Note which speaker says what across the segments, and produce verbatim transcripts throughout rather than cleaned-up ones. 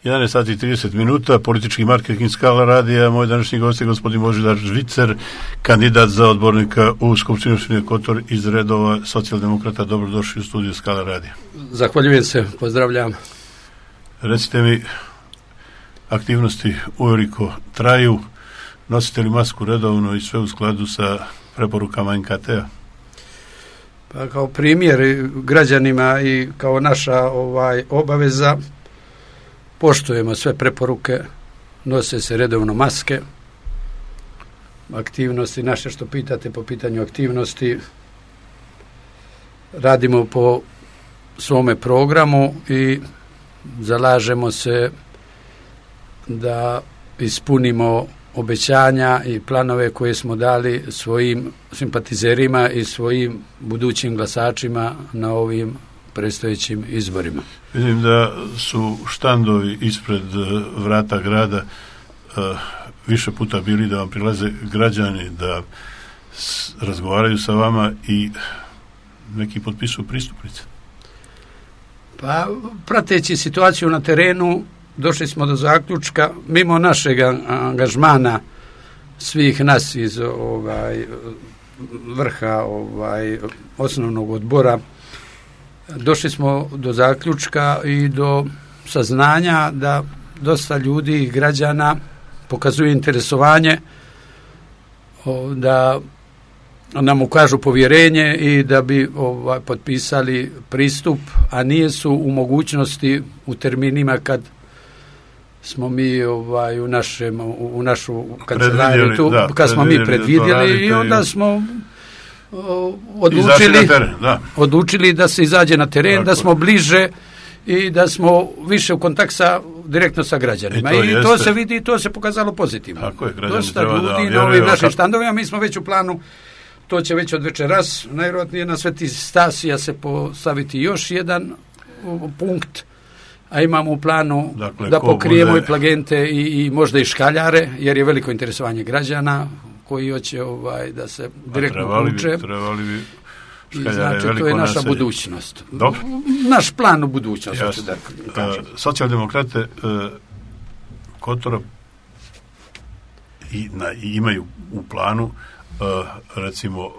Speaker 1: jedanaest sati i trideset minuta, politički marketing Skala radija. Moj današnji gost je gospodin Božidar Žvicer, kandidat za odbornika u Skupštini opštine Kotor iz redova socijaldemokrata. Dobrodošli u studiju Skala radija.
Speaker 2: Zahvaljujem se, pozdravljam.
Speaker 1: Recite mi, aktivnosti uveliko traju, nosite li masku redovno i sve u skladu sa preporukama en ka te-a?
Speaker 2: Pa kao primjer građanima i kao naša ovaj obaveza poštujemo sve preporuke, nose se redovno maske, aktivnosti naše što pitate po pitanju aktivnosti, radimo po svome programu i zalažemo se da ispunimo obećanja i planove koje smo dali svojim simpatizerima i svojim budućim glasačima na ovim predstojećim izborima.
Speaker 1: Vidim da su štandovi ispred vrata grada uh, više puta bili da vam prilaze građani, da s, razgovaraju sa vama i neki potpisuju pristupnice.
Speaker 2: Pa, prateći situaciju na terenu, došli smo do zaključka, mimo našeg angažmana svih nas iz ovaj, vrha ovaj, osnovnog odbora, došli smo do zaključka i do saznanja da dosta ljudi i građana pokazuje interesovanje da nam ukažu povjerenje i da bi ovaj, potpisali pristup, a nije su u mogućnosti u terminima kad smo mi ovaj, u, našem, u našu kancelariju tu, da, kad smo mi predvidjeli i onda smo o, odlučili, teren, da. odlučili da se izađe na teren, tako, da smo bliže i da smo više u kontakt sa, direktno sa građanima. I to, I to se vidi i to se pokazalo pozitivno.
Speaker 1: Tako je,
Speaker 2: dosta ljudi na ovim našim štandovima, mi smo već u planu, to će već od večeras, najvjerojatnije na Sveti Stasija se postaviti još jedan punkt, a imamo u planu dakle, da pokrijemo bude... i plagente i, i možda i škaljare, jer je veliko interesovanje građana koji hoće ovaj, da se direktno uče.
Speaker 1: Trebali bi
Speaker 2: škaljare. I znači, to je naša naselje. Budućnost.
Speaker 1: Dobro.
Speaker 2: Naš plan u budućnosti. Da
Speaker 1: uh, socijaldemokrate uh, Kotora i, na, i imaju u planu uh, recimo uh,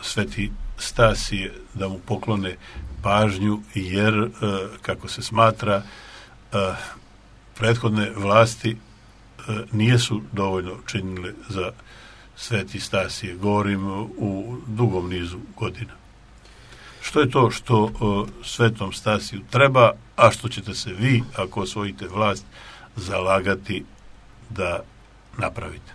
Speaker 1: Sveti Stasije da mu poklone pažnju, jer, uh, kako se smatra, uh, prethodne vlasti uh, nijesu dovoljno činile za Sveti Stasije. Govorim u dugom nizu godina. Što je to što uh, Svetom Stasiju treba, a što ćete se vi, ako osvojite vlast, zalagati da napravite?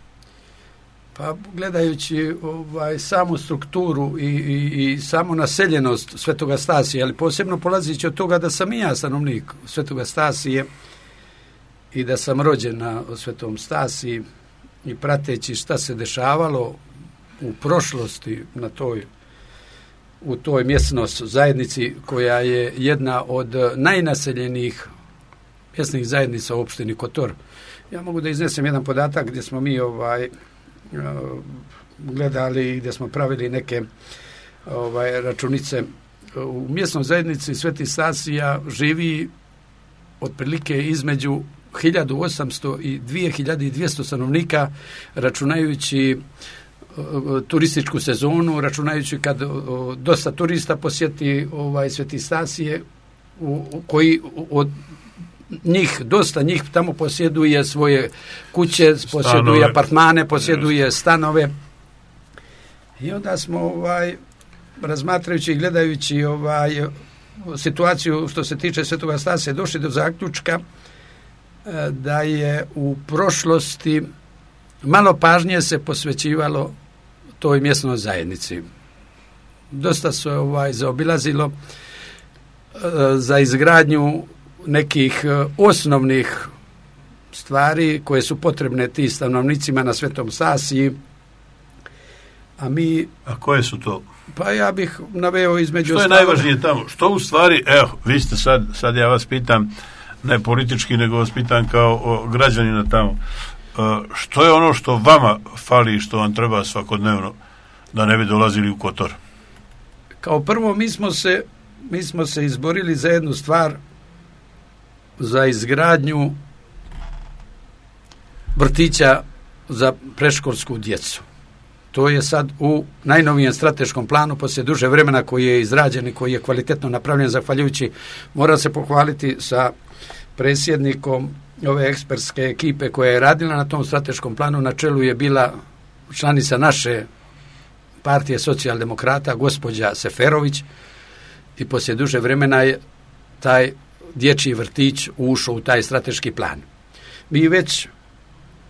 Speaker 2: Pa gledajući ovaj, samu strukturu i, i, i samu naseljenost Svetoga Stasija, ali posebno polazići od toga da sam i ja stanovnik Svetoga Stasije i da sam rođen na Svetom Stasiji i prateći šta se dešavalo u prošlosti na toj, u toj mjesnoj zajednici koja je jedna od najnaseljenijih mjesnih zajednica u opštini Kotor. Ja mogu da iznesem jedan podatak gdje smo mi ovaj gledali, gdje smo pravili neke ovaj, računice. U mjesnoj zajednici Sveti Stasija živi otprilike između hiljadu osamsto i dvije hiljade dvjesto stanovnika, računajući uh, turističku sezonu, računajući kad uh, dosta turista posjeti ovaj, Sveti Stasije, u, u, koji od njih, dosta njih tamo posjeduje svoje kuće, posjeduje stanove, apartmane, posjeduje stanove. I onda smo ovaj, razmatrajući i gledajući ovaj, situaciju što se tiče Svetoga Stasija došli do zaključka da je u prošlosti malo pažnje se posvećivalo toj mjesnoj zajednici. Dosta se ovaj, zaobilazilo za izgradnju nekih osnovnih stvari koje su potrebne ti stanovnicima na Svetom Stasiji. A mi...
Speaker 1: A koje su to?
Speaker 2: Pa ja bih naveo između...
Speaker 1: Što je stavove... najvažnije tamo? Što u stvari, evo, vi ste sad, sad ja vas pitam, ne politički, nego vas pitam kao građanina tamo, što je ono što vama fali i što vam treba svakodnevno da ne bi dolazili u Kotor?
Speaker 2: Kao prvo, mi smo se, mi smo se izborili za jednu stvar, za izgradnju vrtića za predškolsku djecu. To je sad u najnovijem strateškom planu poslije duže vremena koji je izrađen i koji je kvalitetno napravljen, zahvaljujući, mora se pohvaliti sa predsjednikom ove ekspertske ekipe koja je radila na tom strateškom planu. Na čelu je bila članica naše partije socijaldemokrata, gospođa Seferović, i poslije duže vremena je taj dječji vrtić ušao u taj strateški plan. Mi već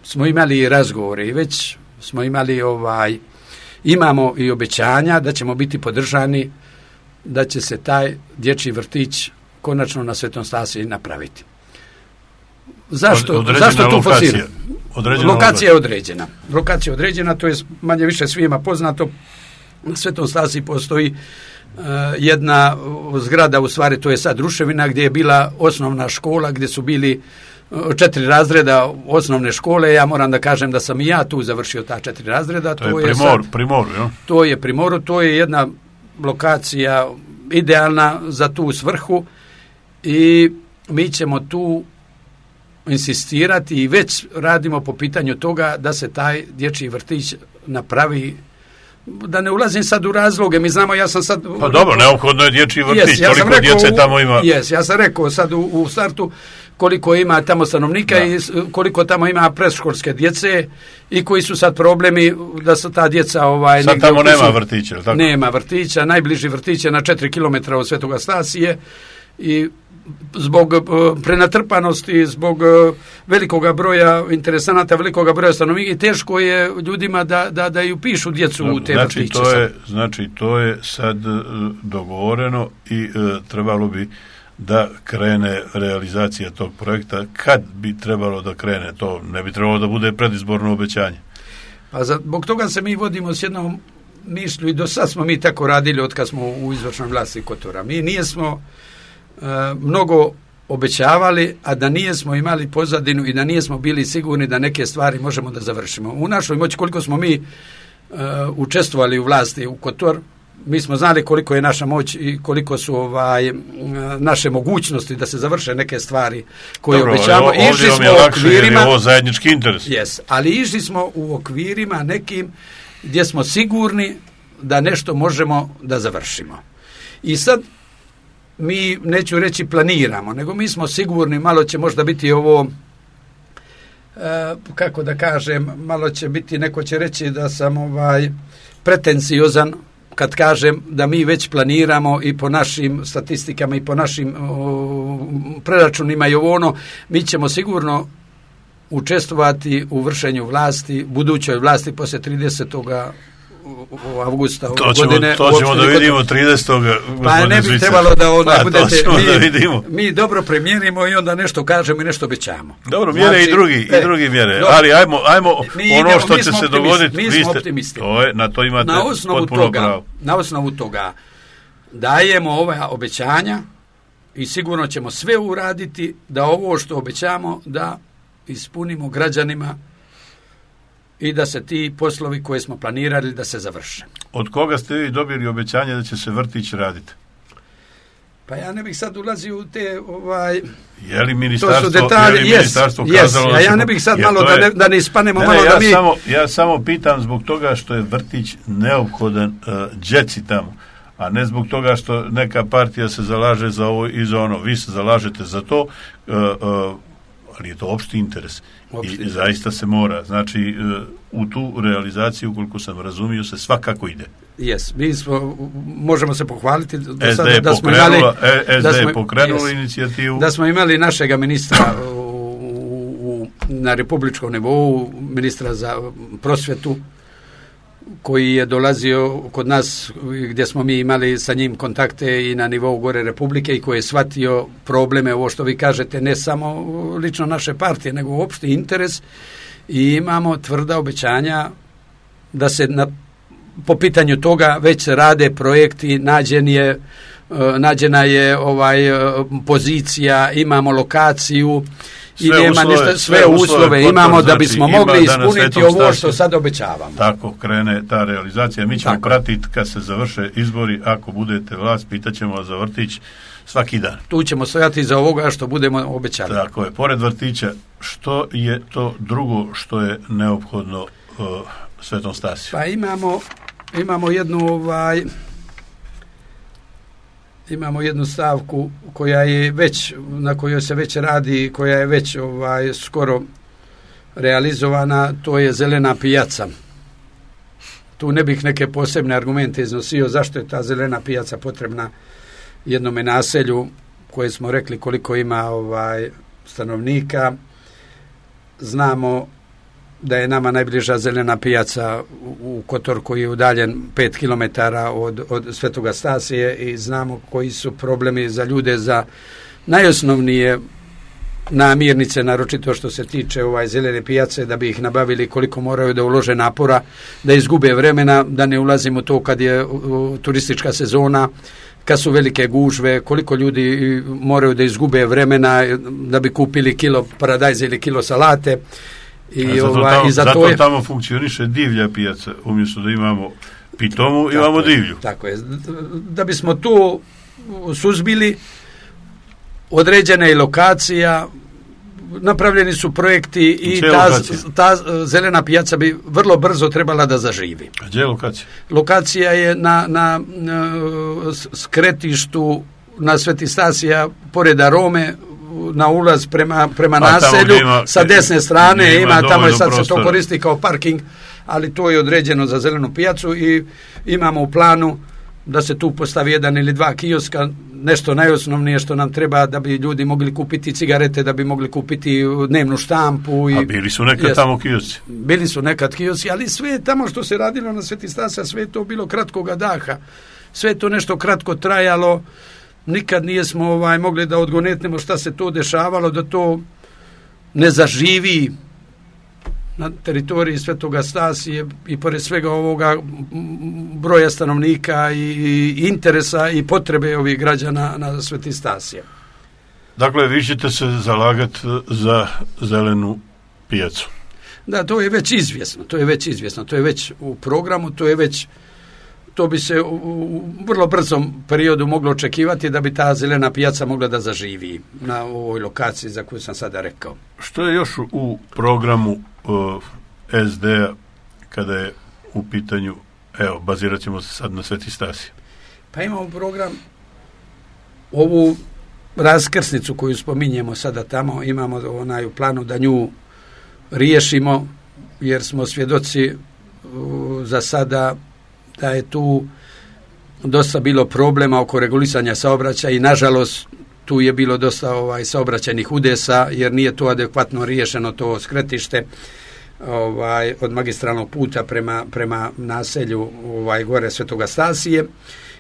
Speaker 2: smo imali razgovore i već smo imali ovaj, imamo i obećanja da ćemo biti podržani, da će se taj dječji vrtić konačno na Svetom Stasiji napraviti. Zašto, zašto tu forsiramo? Lokacija je određena. Lokacija je određena, to je manje više svima poznato. Na Svetom Stasiji postoji uh, jedna zgrada, u stvari to je sad ruševina, gdje je bila osnovna škola, gdje su bili četiri razreda osnovne škole. Ja moram da kažem da sam i ja tu završio ta četiri razreda.
Speaker 1: To, to je primor, sad, primoru, jo?
Speaker 2: To je primoru, to je jedna lokacija idealna za tu svrhu i mi ćemo tu insistirati i već radimo po pitanju toga da se taj dječji vrtić napravi. Da ne ulazim sad u razloge, mi znamo, ja sam sad...
Speaker 1: Pa dobro, neophodno je dječji vrtić, yes, ja toliko rekao, djece tamo ima...
Speaker 2: Jes, ja sam rekao sad u, u startu koliko ima tamo stanovnika, da, i koliko tamo ima predškolske djece i koji su sad problemi da su ta djeca... Ovaj,
Speaker 1: sad tamo nema su, vrtića, tako?
Speaker 2: Nema vrtića, najbliži vrtić je na četiri kilometra od Svetoga Stasije i zbog uh, prenatrpanosti, zbog uh, velikoga broja interesanata, velikoga broja stanovnika i teško je ljudima da, da, da ju pišu djecu no, u te
Speaker 1: znači,
Speaker 2: vrtiće.
Speaker 1: To je, znači to je sad uh, dogovoreno i uh, trebalo bi da krene realizacija tog projekta. Kad bi trebalo da krene? To ne bi trebalo da bude predizborno obećanje.
Speaker 2: Pa zbog toga se mi vodimo s jednom mišlju i do sad smo mi tako radili od kad smo u izvršnoj vlasti Kotora. Mi nijesmo mnogo obećavali, a da nijesmo imali pozadinu i da nijesmo bili sigurni da neke stvari možemo da završimo. U našoj moći, koliko smo mi uh, učestvovali u vlasti u Kotor, mi smo znali koliko je naša moć i koliko su ovaj, naše mogućnosti da se završe neke stvari koje
Speaker 1: Dobro,
Speaker 2: obećavamo. Išli smo u okvirima,
Speaker 1: ovo zajednički interes.
Speaker 2: Yes, ali išli smo u okvirima nekim gdje smo sigurni da nešto možemo da završimo. I sad mi, neću reći planiramo, nego mi smo sigurni, malo će možda biti ovo, e, kako da kažem, malo će biti, neko će reći da sam ovaj pretenciozan kad kažem da mi već planiramo i po našim statistikama i po našim o, preračunima i ovo ono, mi ćemo sigurno učestvovati u vršenju vlasti, budućoj vlasti poslije tridesetog avgusta
Speaker 1: to ćemo, godine. To ćemo da vidimo tridesetog
Speaker 2: Pa ne bi trebalo da onda
Speaker 1: pa,
Speaker 2: budete... Mi,
Speaker 1: da vidimo.
Speaker 2: mi dobro premijerimo i onda nešto kažemo i nešto obećamo.
Speaker 1: Dobro, mjere znači, i drugi, e, i drugi mjere. Dobro. Ali ajmo, ajmo
Speaker 2: mi
Speaker 1: ono
Speaker 2: idemo,
Speaker 1: što će se dogoditi.
Speaker 2: Mi smo optimisti.
Speaker 1: To je, na to imate
Speaker 2: na osnovu
Speaker 1: potpuno
Speaker 2: toga,
Speaker 1: pravo.
Speaker 2: Na osnovu toga dajemo ova obećanja i sigurno ćemo sve uraditi da ovo što obećamo da ispunimo građanima i da se ti poslovi koje smo planirali da se završe.
Speaker 1: Od koga ste vi dobili obećanje da će se vrtić raditi?
Speaker 2: Pa ja ne bih sad ulazio u te ovaj
Speaker 1: je li ministarstvo,
Speaker 2: to su detalje,
Speaker 1: je li ministarstvo
Speaker 2: yes,
Speaker 1: kazalo
Speaker 2: yes, a ja ne bih sad malo je, da ne, da ne ispanemo ne, malo
Speaker 1: ja
Speaker 2: da mi
Speaker 1: samo, ja samo pitam zbog toga što je vrtić neophodan uh, djeci tamo, a ne zbog toga što neka partija se zalaže za ovo i za ono. Vi se zalažete za to, uh, uh, ali je to opšti interes. Opšti. I zaista se mora. Znači, u tu realizaciju, koliko sam razumio, se svakako ide.
Speaker 2: Jes, mi smo, možemo se pohvaliti da,
Speaker 1: S D
Speaker 2: sada,
Speaker 1: je
Speaker 2: da smo
Speaker 1: imali...
Speaker 2: S
Speaker 1: D je pokrenula inicijativu.
Speaker 2: Da smo imali našega ministra u, u, na republičkom nivou, ministra za prosvjetu, koji je dolazio kod nas gdje smo mi imali sa njim kontakte i na nivou gore Republike i koji je shvatio probleme, ovo što vi kažete, ne samo lično naše partije, nego opšti interes i imamo tvrda obećanja da se na, po pitanju toga već se rade projekti, nađen je, nađena je ovaj pozicija, imamo lokaciju i sve nema uslove, ništa, sve, sve uslove, uslove imamo znači, da bismo mogli ispuniti ovo što sad obećavamo.
Speaker 1: Tako krene ta realizacija. Mi ćemo
Speaker 2: Tako.
Speaker 1: pratiti kad se završe izbori, ako budete vlast, pitaćemo vas za vrtić svaki dan.
Speaker 2: Tu ćemo stojati za ovoga što budemo obećali.
Speaker 1: Tako je, pored vrtića što je to drugo što je neophodno uh, Svetom Stasiju?
Speaker 2: Pa imamo, imamo jednu ovaj, imamo jednu stavku koja je već, na kojoj se već radi, koja je već ovaj, skoro realizovana, to je zelena pijaca. Tu ne bih neke posebne argumente iznosio zašto je ta zelena pijaca potrebna jednome naselju koje smo rekli koliko ima ovaj stanovnika. Znamo da je nama najbliža zelena pijaca u Kotor koji je udaljen pet kilometara od, od Svetoga Stasije i znamo koji su problemi za ljude za najosnovnije namirnice, naročito što se tiče ovaj zelene pijace, da bi ih nabavili, koliko moraju da ulože napora, da izgube vremena, da ne ulazimo to kad je uh, turistička sezona, kad su velike gužve, koliko ljudi moraju da izgube vremena da bi kupili kilo paradajza ili kilo salate. I,
Speaker 1: zato
Speaker 2: ovaj,
Speaker 1: tamo,
Speaker 2: i zato,
Speaker 1: zato
Speaker 2: je,
Speaker 1: tamo funkcioniše divlja pijaca, umjesto da imamo pitomu, imamo
Speaker 2: je,
Speaker 1: divlju.
Speaker 2: Tako je. Da bismo tu suzbili, određena je lokacija, napravljeni su projekti i ta, ta zelena pijaca bi vrlo brzo trebala da zaživi.
Speaker 1: A gdje je lokacija?
Speaker 2: Lokacija je na, na, na skretištu na Sveti Stasija, pored Arome, na ulaz prema, prema naselju, ima, sa desne strane ima, ima tamo je sad prostora. Se to koristi kao parking, ali to je određeno za zelenu pijacu i imamo u planu da se tu postavi jedan ili dva kioska, nešto najosnovnije što nam treba da bi ljudi mogli kupiti cigarete, da bi mogli kupiti dnevnu štampu. I,
Speaker 1: a bili su nekad jes, tamo kioski?
Speaker 2: Bili su nekad kioski, ali sve tamo što se radilo na Sveti Stasija, sve to bilo kratkoga daha. Sve to nešto kratko trajalo, nikad nijesmo ovaj, mogli da odgonetnemo šta se to dešavalo, da to ne zaživi na teritoriji Svetoga Stasije i pored svega ovoga broja stanovnika i, i interesa i potrebe ovih građana na Sveti Stasije.
Speaker 1: Dakle, vi ćete se zalagati za zelenu pijacu.
Speaker 2: Da, to je već izvjesno, to je već izvjesno, to je već u programu, to je već, to bi se u, u vrlo brzom periodu moglo očekivati da bi ta zelena pijaca mogla da zaživi na ovoj lokaciji za koju sam sada rekao.
Speaker 1: Što je još u programu uh, es de a kada je u pitanju, evo, bazirat ćemo se sad na Sveti Stasije?
Speaker 2: Pa imamo program, ovu raskrsnicu koju spominjemo sada tamo, imamo onaj u planu da nju riješimo, jer smo svjedoci uh, za sada da je tu dosta bilo problema oko regulisanja saobraćaja i nažalost tu je bilo dosta ovaj saobraćajnih udesa jer nije to adekvatno riješeno to skretište ovaj od magistralnog puta prema prema naselju ovaj gore Svetoga Stasije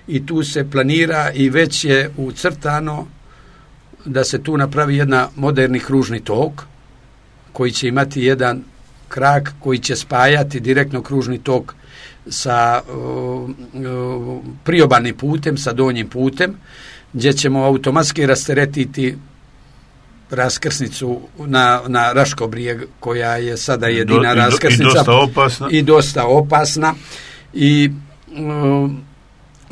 Speaker 2: i tu se planira i već je ucrtano da se tu napravi jedna moderni kružni tok koji će imati jedan krak koji će spajati direktno kružni tok sa uh, uh, priobalnim putem, sa donjim putem, gdje ćemo automatski rasteretiti raskrsnicu na, na Raškobrijeg, koja je sada jedina do, raskrsnica.
Speaker 1: I dosta opasna.
Speaker 2: I dosta opasna. I uh,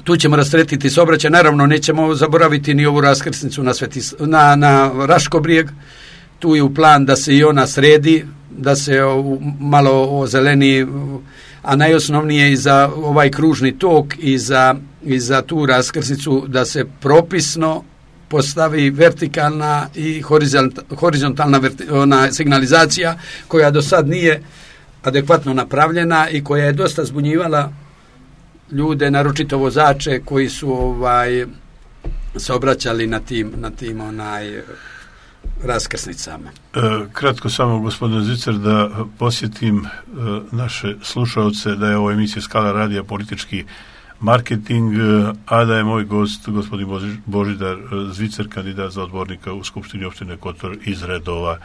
Speaker 2: tu ćemo rasteretiti saobraćaj. Naravno, nećemo zaboraviti ni ovu raskrsnicu na, Sveti, na, na Raškobrijeg. Tu je u plan da se i ona sredi, da se uh, malo ozeleni, a najosnovnije i za ovaj kružni tok i za, i za tu raskrsnicu da se propisno postavi vertikalna i horizontalna verti, ona signalizacija koja do sad nije adekvatno napravljena i koja je dosta zbunjivala ljude, naročito vozače koji su ovaj se obraćali na tim, na tim onaj raskrsnicama.
Speaker 1: E, kratko samo, gospodine Zicer, da posjetim e, naše slušalce da je ovo emisija Skala radija politički marketing, e, a da je moj gost gospodin Boži, Božidar Zvicer, kandidat za odbornika u Skupštini opštine Kotor iz redova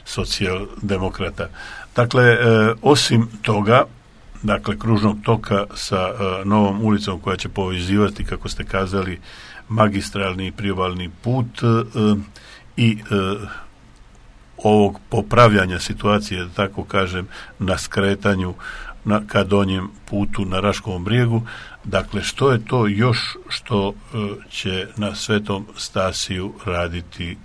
Speaker 1: socijaldemokrata. Dakle, e, osim toga, dakle, kružnog toka sa e, novom ulicom koja će povezivati, kako ste kazali, magistralni i priobalni put, e, i e, ovog popravljanja situacije, da tako kažem, na skretanju na, ka donjem putu na Raškovom brijegu. Dakle, što je to još što e, će na Svetom Stasiju raditi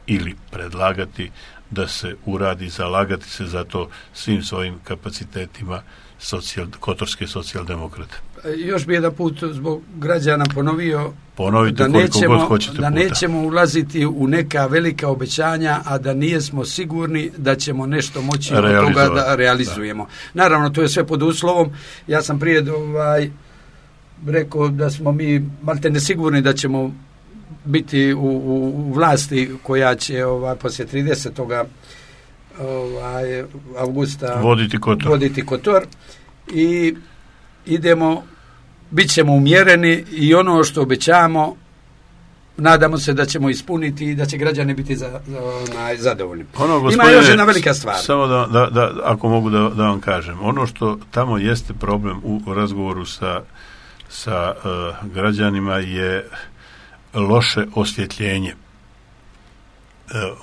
Speaker 1: ili predlagati da se uradi, zalagati se za to svim svojim kapacitetima socijal, kotorske socijaldemokrate.
Speaker 2: Još bi jedan put zbog građana ponovio
Speaker 1: Ponovite
Speaker 2: da,
Speaker 1: koliko
Speaker 2: nećemo,
Speaker 1: god hoćete
Speaker 2: da
Speaker 1: puta.
Speaker 2: nećemo ulaziti u neka velika obećanja, a da nijesmo sigurni da ćemo nešto moći od toga da realizujemo. Da. Naravno, to je sve pod uslovom. Ja sam prije ovaj, rekao da smo mi malte nesigurni da ćemo biti u, u, u vlasti koja će ovaj, poslije tridesetog Ovaj, avgusta
Speaker 1: voditi Kotor.
Speaker 2: voditi Kotor i idemo, bit ćemo umjereni i ono što obećamo nadamo se da ćemo ispuniti i da će građani biti za, za, onaj, zadovoljni.
Speaker 1: Ono,
Speaker 2: ima još jedna velika stvar.
Speaker 1: Samo da, da, da ako mogu da, da vam kažem, ono što tamo jeste problem u razgovoru sa, sa uh, građanima je loše osvjetljenje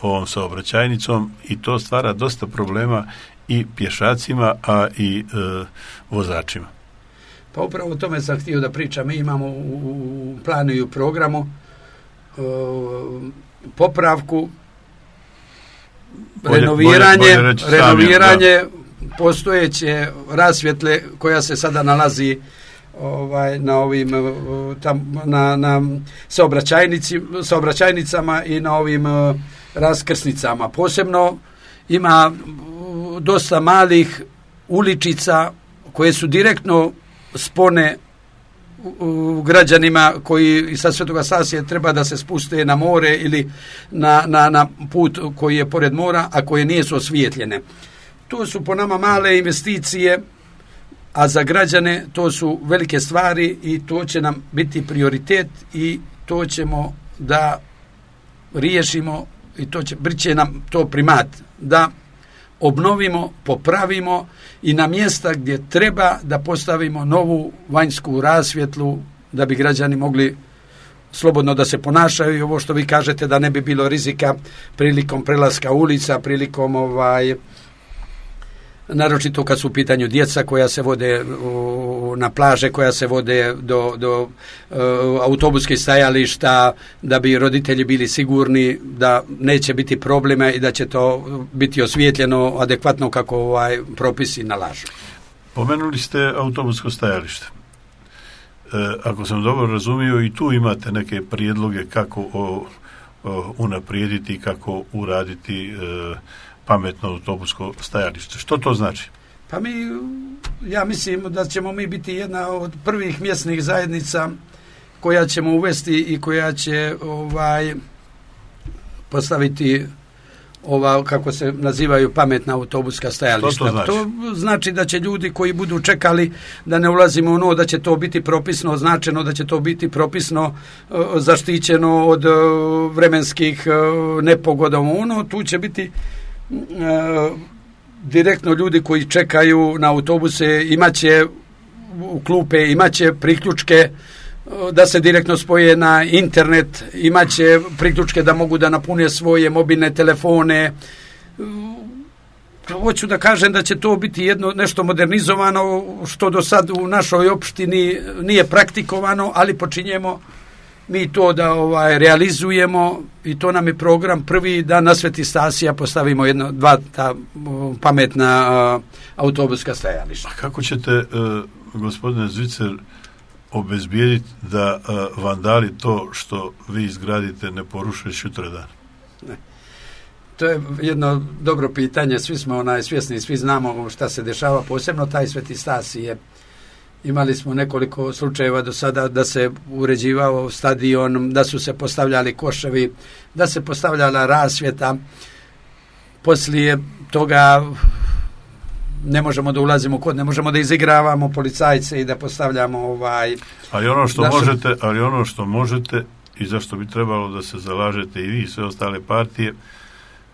Speaker 1: ovom saobraćajnicom i to stvara dosta problema i pješacima, a i e, vozačima.
Speaker 2: Pa upravo o tome sam htio da pričam. Mi imamo u, u planu i u programu e, popravku, bolje, renoviranje, bolje, bolje reći renoviranje sami, postojeće rasvjetle koja se sada nalazi ovaj na ovim tam na na saobraćajnici saobraćajnicama i na ovim uh, raskrsnicama. Posebno ima uh, dosta malih uličica koje su direktno spone u građanima koji sa Svetoga Stasija treba da se spuste na more ili na, na, na put koji je pored mora, a koje nisu osvijetljene. To su po nama male investicije, a za građane to su velike stvari i to će nam biti prioritet i to ćemo da riješimo i to će, će nam to primat da obnovimo, popravimo i na mjesta gdje treba da postavimo novu vanjsku rasvjetlu da bi građani mogli slobodno da se ponašaju i ovo što vi kažete da ne bi bilo rizika prilikom prelaska ulica, prilikom ovaj naročito kad su u pitanju djeca koja se vode u, na plaže, koja se vode do, do uh, autobuskih stajališta, da bi roditelji bili sigurni da neće biti problema i da će to biti osvijetljeno adekvatno kako ovaj propisi nalažu.
Speaker 1: Pomenuli ste autobusko stajalište. E, ako sam dobro razumio, i tu imate neke prijedloge kako o, o, unaprijediti, kako uraditi e, pametno autobusko stajalište. Što to znači?
Speaker 2: Pa mi, ja mislim da ćemo mi biti jedna od prvih mjesnih zajednica koja ćemo uvesti i koja će ovaj postaviti ova, kako se nazivaju, pametna autobuska stajališta.
Speaker 1: To, to, znači?
Speaker 2: to znači da će ljudi koji budu čekali, da ne ulazimo u ono da će to biti propisno označeno, da će to biti propisno zaštićeno od vremenskih nepogoda. Ono, tu će biti Uh, direktno ljudi koji čekaju na autobuse imaće u klupe, imaće priključke uh, da se direktno spoje na internet, imaće priključke da mogu da napune svoje mobilne telefone. Uh, hoću da kažem da će to biti jedno nešto modernizovano što do sad u našoj opštini nije praktikovano, ali počinjemo mi to da ovaj realizujemo i to nam je program prvi da na Sveti Stasija postavimo jedno, dva ta pametna uh, autobuska stajališta.
Speaker 1: A kako ćete, uh, gospodine Zvicer, obezbijediti da uh, vandali to što vi izgradite ne poruše sutradan?
Speaker 2: Ne. To je jedno dobro pitanje, svi smo onaj svjesni, svi znamo šta se dešava, posebno taj Sveti Stasije. Imali smo nekoliko slučajeva do sada da se uređivao stadion, da su se postavljali koševi, da se postavljala rasvjeta. Poslije toga ne možemo da ulazimo kod, ne možemo da izigravamo policajce i da postavljamo ovaj...
Speaker 1: Ali ono što
Speaker 2: našu...
Speaker 1: možete, ali ono što možete i zašto bi trebalo da se zalažete i vi i sve ostale partije,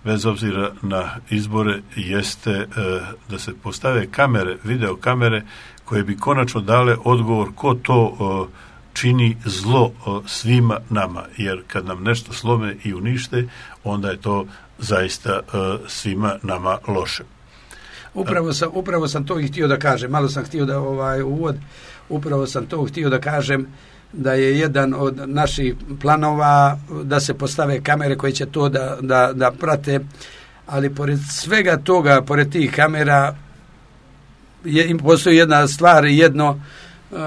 Speaker 1: bez obzira na izbore, jeste e, da se postave kamere, video kamere koje bi konačno dale odgovor ko to o, čini zlo o, svima nama, jer kad nam nešto slome i unište, onda je to zaista o, svima nama loše.
Speaker 2: Upravo sam, upravo sam to i htio da kažem, malo sam htio da ovaj uvod, upravo sam to htio da kažem da je jedan od naših planova da se postave kamere koje će to da, da, da prate, ali pored svega toga, pored tih kamera je, postoji jedna stvar, jedno uh,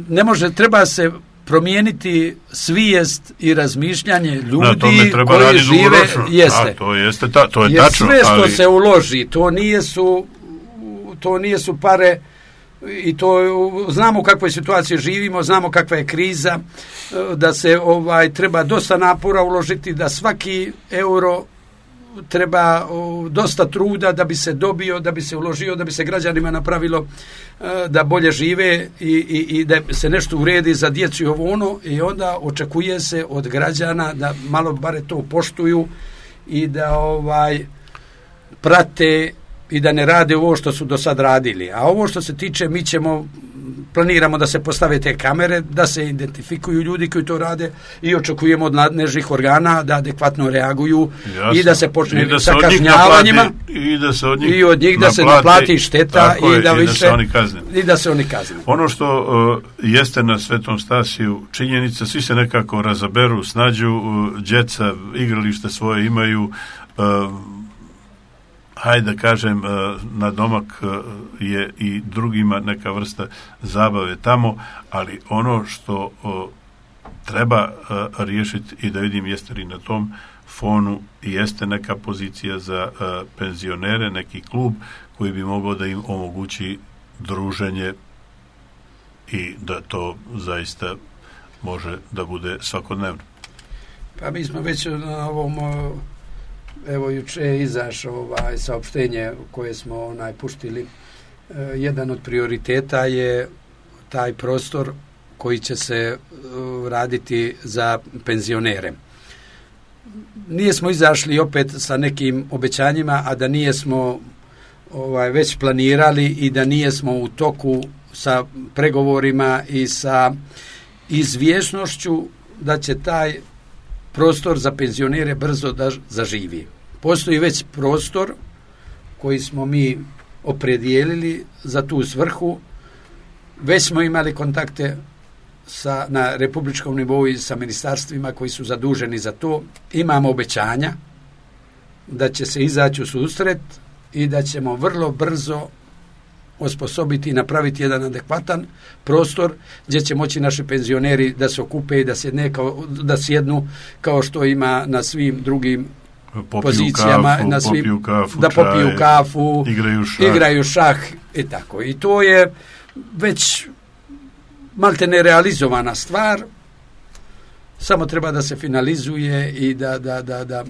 Speaker 2: ne može, treba se promijeniti svijest i razmišljanje ljudi koji žive, jeste.
Speaker 1: A, to jeste ta, to je
Speaker 2: jer
Speaker 1: tačno,
Speaker 2: sve što
Speaker 1: ali...
Speaker 2: se uloži, to nije su to nije su pare i to znamo u kakvoj situaciji živimo, znamo kakva je kriza, da se ovaj treba dosta napora uložiti, da svaki euro treba o, dosta truda da bi se dobio, da bi se uložio, da bi se građanima napravilo e, da bolje žive i, i, i da se nešto uredi za djecu i ovo ono, i onda očekuje se od građana da malo bare to poštuju i da ovaj prate i da ne rade ovo što su do sad radili. A ovo što se tiče, mi ćemo, planiramo da se postave te kamere, da se identifikuju ljudi koji to rade i očekujemo od nadležnih organa da adekvatno reaguju. Jasno. I da se počne da sa kažnjavanjima
Speaker 1: i da se od njih,
Speaker 2: i od njih da
Speaker 1: naplati,
Speaker 2: se naplati šteta i,
Speaker 1: je,
Speaker 2: da,
Speaker 1: i
Speaker 2: više,
Speaker 1: da se oni kazne.
Speaker 2: I da se oni kazne.
Speaker 1: Ono što uh, jeste na Svetom Stasiju činjenica, svi se nekako razaberu, snađu, uh, djeca igralište svoje imaju, uh, hajde da kažem, na domak je i drugima neka vrsta zabave tamo, ali ono što treba riješiti i da vidim jeste li na tom fonu jeste neka pozicija za penzionere, neki klub koji bi mogao da im omogući druženje i da to zaista može da bude svakodnevno.
Speaker 2: Pa mi smo već na ovom... Evo, juče je izašao ovaj saopštenje koje smo onaj puštili. E, jedan od prioriteta je taj prostor koji će se uh, raditi za penzionere. Nije smo izašli opet sa nekim obećanjima, a da nije smo ovaj, već planirali i da nije smo u toku sa pregovorima i sa izvjesnošću da će taj prostor za penzionere brzo da zaživi. Postoji već prostor koji smo mi opredijelili za tu svrhu. Već smo imali kontakte sa, na republičkom nivou i sa ministarstvima koji su zaduženi za to. Imamo obećanja da će se izaći u susret i da ćemo vrlo brzo osposobiti i napraviti jedan adekvatan prostor gdje će moći naši penzioneri da se okupe i da sjedne kao, da sjednu kao što ima na svim drugim popiju pozicijama,
Speaker 1: kafu,
Speaker 2: na svim,
Speaker 1: popiju kafu,
Speaker 2: da popiju čaj, kafu,
Speaker 1: igraju šah.
Speaker 2: igraju šah i tako. I to je već malte nerealizovana stvar, samo treba da se finalizuje i da, da, da, da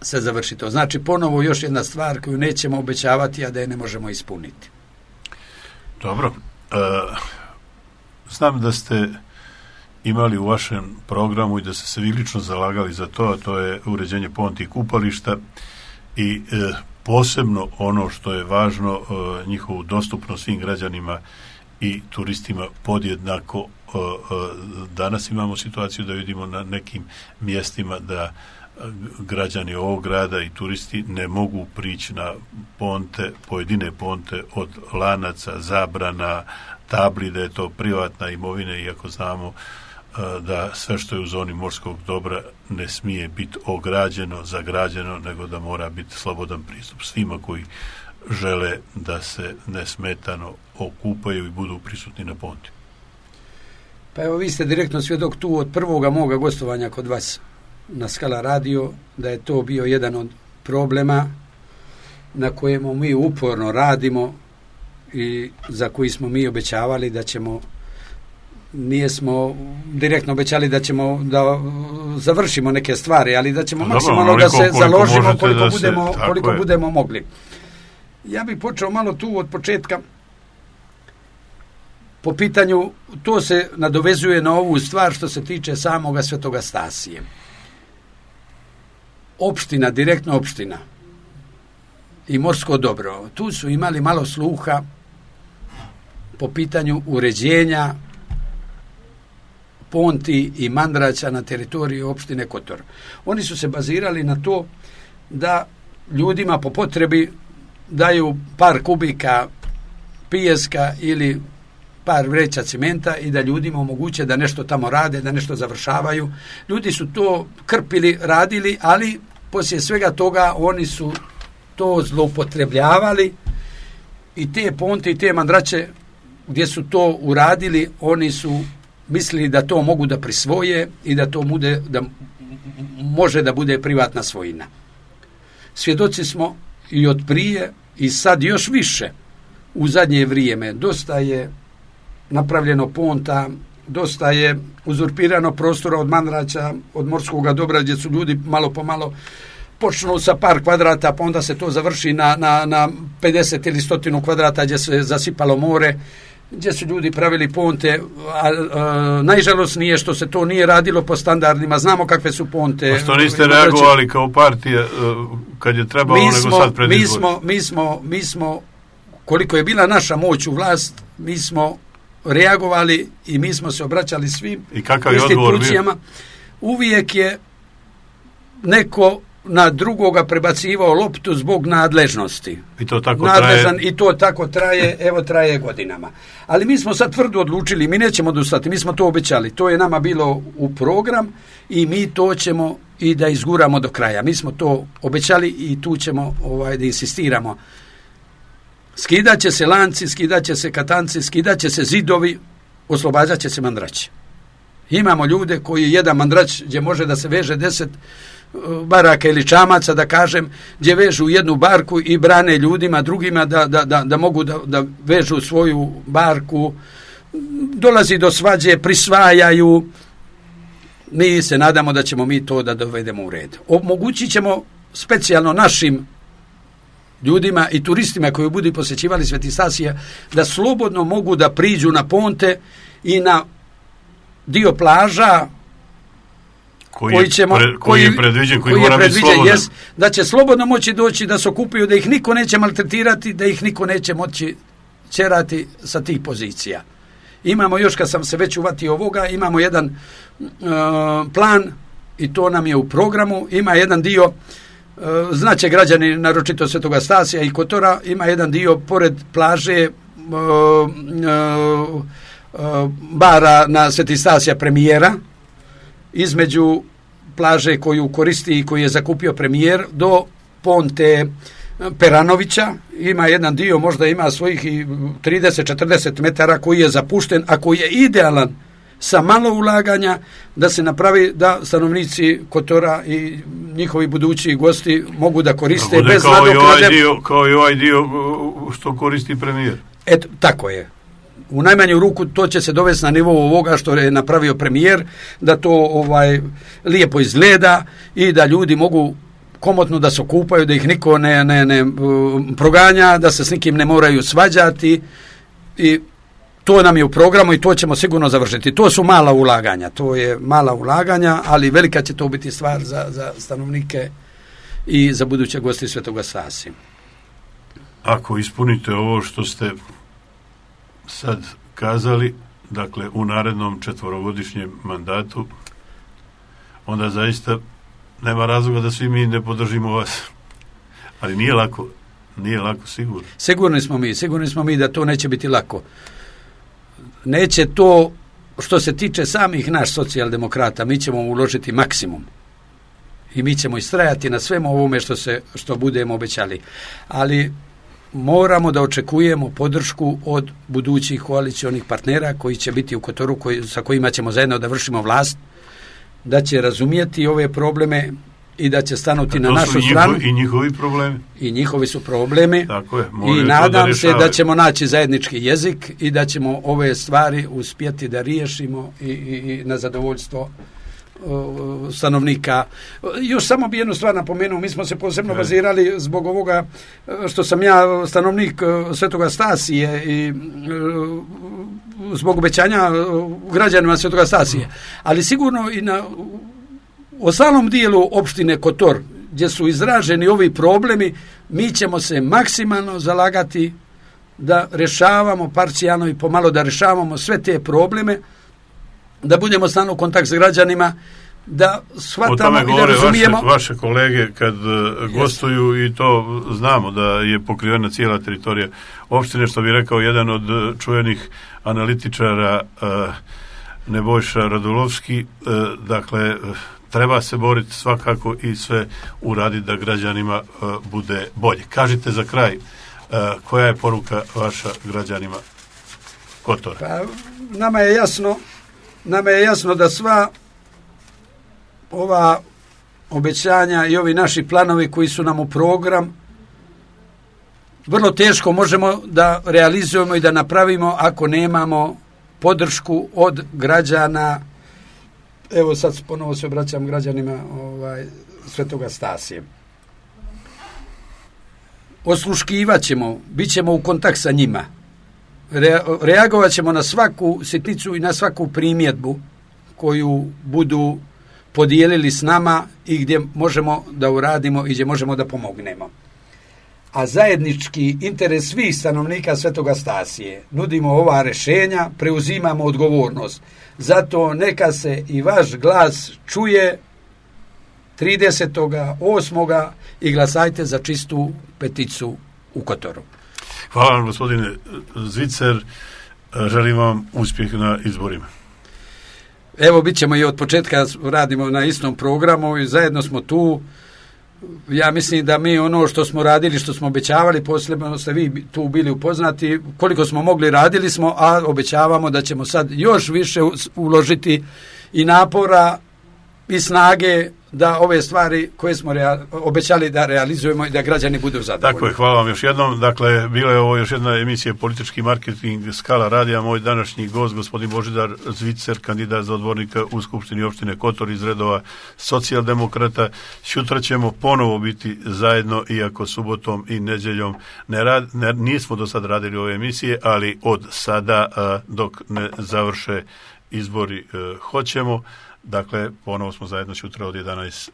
Speaker 2: se završi to. Znači, ponovo još jedna stvar koju nećemo obećavati, a da je ne možemo ispuniti.
Speaker 1: Dobro. E, znam da ste imali u vašem programu i da ste se vi lično zalagali za to, a to je uređenje ponti i kupališta i e, posebno ono što je važno, e, njihovu dostupnost svim građanima i turistima podjednako. E, e, danas imamo situaciju da vidimo na nekim mjestima da građani ovog grada i turisti ne mogu prići na ponte, pojedine ponte od lanaca, zabrana, tabli da je to privatna imovina, iako znamo da sve što je u zoni morskog dobra ne smije biti ograđeno, zagrađeno, nego da mora biti slobodan pristup svima koji žele da se nesmetano okupaju i budu prisutni na ponti.
Speaker 2: Pa evo, vi ste direktno svjedok tu od prvoga moga gostovanja kod vas na Skala radio, da je to bio jedan od problema na kojemu mi uporno radimo i za koji smo mi obećavali da ćemo, nije smo direktno obećali da ćemo da završimo neke stvari, ali da ćemo maksimalno da se založimo koliko budemo, koliko budemo mogli. Ja bih počeo malo tu od početka po pitanju, to se nadovezuje na ovu stvar što se tiče samoga Svetoga Stasije. Opština, direktno opština i morsko dobro, tu su imali malo sluha po pitanju uređenja ponti i mandraća na teritoriji opštine Kotor. Oni su se bazirali na to da ljudima po potrebi daju par kubika pijeska ili par vreća cimenta i da ljudima omoguće da nešto tamo rade, da nešto završavaju. Ljudi su to krpili, radili, ali poslije svega toga oni su to zloupotrebljavali i te ponte i te mandrače gdje su to uradili, oni su mislili da to mogu da prisvoje i da to bude, da može da bude privatna svojina. Svjedoci smo i od prije i sad još više u zadnje vrijeme. Dosta je napravljeno ponta, dosta je uzurpirano prostora od mandrača, od morskog dobra, gdje su ljudi malo po malo počnu sa par kvadrata, pa onda se to završi na, na, na pedeset ili stotinu kvadrata gdje se zasipalo more, gdje su ljudi pravili ponte, a, a najžalosnije što se to nije radilo po standardima. Znamo kakve su ponte.
Speaker 1: A što niste reagovali kao partija kad je trebalo,
Speaker 2: mi
Speaker 1: nego
Speaker 2: smo,
Speaker 1: sad pred
Speaker 2: mi
Speaker 1: izbor?
Speaker 2: smo, mi smo, mi smo, koliko je bila naša moć u vlast, mi smo reagovali i mi smo se obraćali svim
Speaker 1: I kakav je odgovor
Speaker 2: institucijama. Uvijek je neko na drugoga prebacivao loptu zbog nadležnosti.
Speaker 1: I to tako
Speaker 2: Nadležan,
Speaker 1: traje.
Speaker 2: I to tako traje, evo traje godinama. Ali mi smo sad tvrdo odlučili, mi nećemo odustati, mi smo to obećali. To je nama bilo u program i mi to ćemo i da izguramo do kraja. Mi smo to obećali i tu ćemo ovaj, da insistiramo. Skidat će se lanci, skidat će se katanci, skidat će se zidovi, oslobađat će se mandraći. Imamo ljude koji jedan mandrač gdje može da se veže deset baraka ili čamaca, da kažem, gdje vežu jednu barku i brane ljudima drugima da, da, da, da mogu da, da vežu svoju barku. Dolazi do svađe, prisvajaju. Mi se nadamo da ćemo mi to da dovedemo u red. Omogućit ćemo specijalno našim ljudima i turistima koji budu posjećivali Sveti Stasija da slobodno mogu da priđu na ponte i na dio plaža
Speaker 1: koji,
Speaker 2: koji, ćemo,
Speaker 1: pre, koji, koji je predviđen, koji, koji mora biti slobodan.
Speaker 2: Jest, da će slobodno moći doći, da se okupaju, da ih niko neće maltretirati, da ih niko neće moći ćerati sa tih pozicija. Imamo još, kad sam se već uvatio ovoga, imamo jedan uh, plan i to nam je u programu. Ima jedan dio, uh, znaće građani naročito Svetoga Stasija i Kotora, ima jedan dio pored plaže uh, uh, uh, bara na Sveti Stasija premijera, između plaže koju koristi i koju je zakupio premijer do ponte Peranovića. Ima jedan dio, možda ima svojih i trideset do četrdeset metara koji je zapušten, a koji je idealan sa malo ulaganja da se napravi da stanovnici Kotora i njihovi budući gosti mogu da koriste
Speaker 1: tako
Speaker 2: bez
Speaker 1: kao
Speaker 2: nadoknade.
Speaker 1: I ovaj dio, kao i ovaj dio što koristi premijer.
Speaker 2: Eto, tako je. U najmanju ruku to će se dovesti na nivou ovoga što je napravio premijer, da to ovaj lijepo izgleda i da ljudi mogu komotno da se okupaju, da ih niko ne, ne, ne proganja, da se s nikim ne moraju svađati i to nam je u programu i to ćemo sigurno završiti. To su mala ulaganja, to je mala ulaganja, ali velika će to biti stvar za, za stanovnike i za buduće gosti Svetoga Stasija.
Speaker 1: Ako ispunite ovo što ste sad kazali, dakle u narednom četvorogodišnjem mandatu, onda zaista nema razloga da svi mi ne podržimo vas. Ali nije lako, nije lako sigurno.
Speaker 2: Sigurni smo mi, sigurni smo mi da to neće biti lako. Neće to, što se tiče samih naš socijaldemokrata, mi ćemo uložiti maksimum. I mi ćemo istrajati na svemu ovome što se, što budemo obećali. Ali moramo da očekujemo podršku od budućih koalicionih partnera koji će biti u Kotoru, koji, sa kojima ćemo zajedno da vršimo vlast, da će razumijeti ove probleme i da će stanuti na našu
Speaker 1: njihovi,
Speaker 2: stranu.
Speaker 1: I njihovi problemi.
Speaker 2: I njihovi su problemi.
Speaker 1: Tako je,
Speaker 2: i nadam da se da ćemo naći zajednički jezik i da ćemo ove stvari uspjeti da riješimo i, i, i na zadovoljstvo uh, stanovnika. Još samo bi jednu stvar napomenuo, mi smo se posebno okay. bazirali zbog ovoga što sam ja stanovnik uh, Svetoga Stasije i uh, zbog obećanja uh, građanima Svetoga Stasije. Mm. Ali sigurno i na ostalom dijelu opštine Kotor, gdje su izraženi ovi problemi, mi ćemo se maksimalno zalagati da rješavamo parcijalno i pomalo da rješavamo sve te probleme, da budemo stalno u kontakt s građanima, da shvatamo
Speaker 1: o tome
Speaker 2: i da razumijemo.
Speaker 1: Vaše, vaše kolege kad uh, gostuju i to znamo da je pokrivena cijela teritorija opštine, što bi rekao jedan od uh, čuvenih analitičara uh, Nebojša Radulovski, uh, dakle uh, treba se boriti svakako i sve uraditi da građanima uh, bude bolje. Kažite za kraj, uh, koja je poruka vaša građanima Kotora?
Speaker 2: Pa, nama je jasno, nama je jasno da sva ova obećanja i ovi naši planovi koji su nam u program vrlo teško možemo da realizujemo i da napravimo ako nemamo podršku od građana. Evo sad ponovo se obraćam građanima ovaj, Svetoga Stasije. Osluškivat ćemo, bit ćemo u kontakt sa njima. Re, reagovat ćemo na svaku sitnicu i na svaku primjedbu koju budu podijelili s nama i gdje možemo da uradimo i gdje možemo da pomognemo. A zajednički interes svih stanovnika Svetoga Stasije nudimo ova rješenja, preuzimamo odgovornost. Zato neka se i vaš glas čuje tridesetog osmog i glasajte za čistu peticu u Kotoru.
Speaker 1: Hvala vam, gospodine Zvicer. Želim vam uspjeh na izborima.
Speaker 2: Evo, bit ćemo i od početka, radimo na istom programu i zajedno smo tu. Ja mislim da mi ono što smo radili, što smo obećavali, posebno ste vi tu bili upoznati, koliko smo mogli radili smo, a obećavamo da ćemo sad još više uložiti i napora i snage da ove stvari koje smo rea- obećali da realizujemo i da građani budu zadovoljni.
Speaker 1: Tako je, hvala vam još jednom. Dakle, bila je ovo još jedna emisija Politički marketing Skala radija. Moj današnji gost, gospodin Božidar Zvicer, kandidat za odbornika u Skupštini opštine Kotor iz redova socijaldemokrata. Sutra ćemo ponovo biti zajedno, iako subotom i nedjeljom ne rad, ne, nismo do sad radili ove emisije, ali od sada a, dok ne završe izbori a, hoćemo. Dakle, ponovo smo zajedno sutra od jedanaest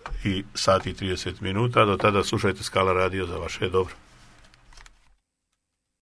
Speaker 1: sati i trideset minuta. Do tada slušajte Skala radio, za vaše dobro.